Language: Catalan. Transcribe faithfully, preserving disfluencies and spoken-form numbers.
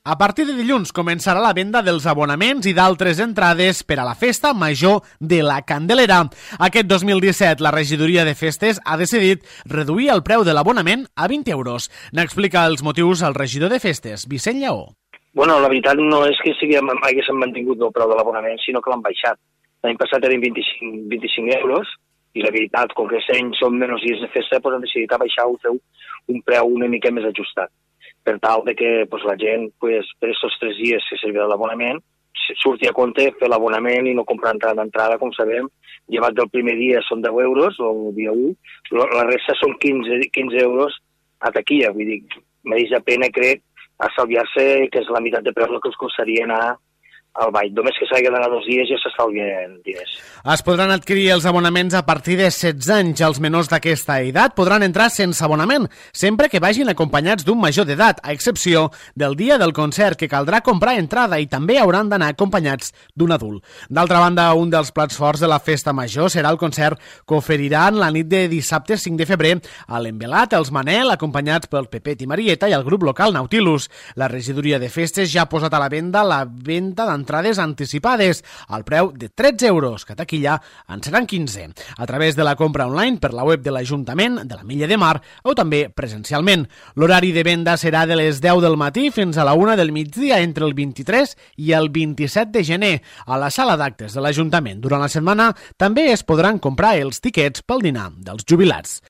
A partir de dilluns començarà la venda dels abonaments i d'altres entrades per a la Festa Major de la Candelera. Aquest dos mil disset la regidoria de festes ha decidit reduir el preu de l'abonament a vint euros. N'explica els motius el regidor de festes, Vicent Lleó. Bueno, la veritat no és que sigui, haguéssim mantingut el preu de l'abonament, sinó que l'han baixat. L'any passat eren vint-i-cinc, vint-i-cinc euros i la veritat, com que aquest any són menys dies de festa, doncs han decidit abaixar-ho, fer un preu una mica més ajustat, per tal de que pues, la gent, pues, per aquests tres dies que servirà l'abonament, surti a compte fer l'abonament i no comprar entrada d'entrada, com sabem. Llevat del primer dia són deu euros, o el dia u, la resta són quinze, quinze euros a taquilla. Vull dir, mereix la pena, crec, estalviar-se, que és la meitat de preu que els costaria anar al ball. Només que s'hagi d'anar dos dies ja s'estalvien diners. Es podran adquirir els abonaments a partir de setze anys. Els menors d'aquesta edat podran entrar sense abonament, sempre que vagin acompanyats d'un major d'edat, a excepció del dia del concert, que caldrà comprar entrada i també hauran d'anar acompanyats d'un adult. D'altra banda, un dels plats forts de la Festa Major serà el concert que oferiran la nit de dissabte cinc de febrer a l'Envelat, els Manel, acompanyats pel Pepet i Marieta i el grup local Nautilus. La regidoria de festes ja ha posat a la venda la venda d'entrada entrades anticipades al preu de tretze euros, que a taquilla en seran quinze, a través de la compra online per la web de l'Ajuntament de la Milla de Mar o també presencialment. L'horari de venda serà de les deu del matí fins a la una del migdia entre el vint-i-tres i el vint-i-set de gener a la sala d'actes de l'Ajuntament. Durant la setmana també es podran comprar els tiquets pel dinar dels jubilats.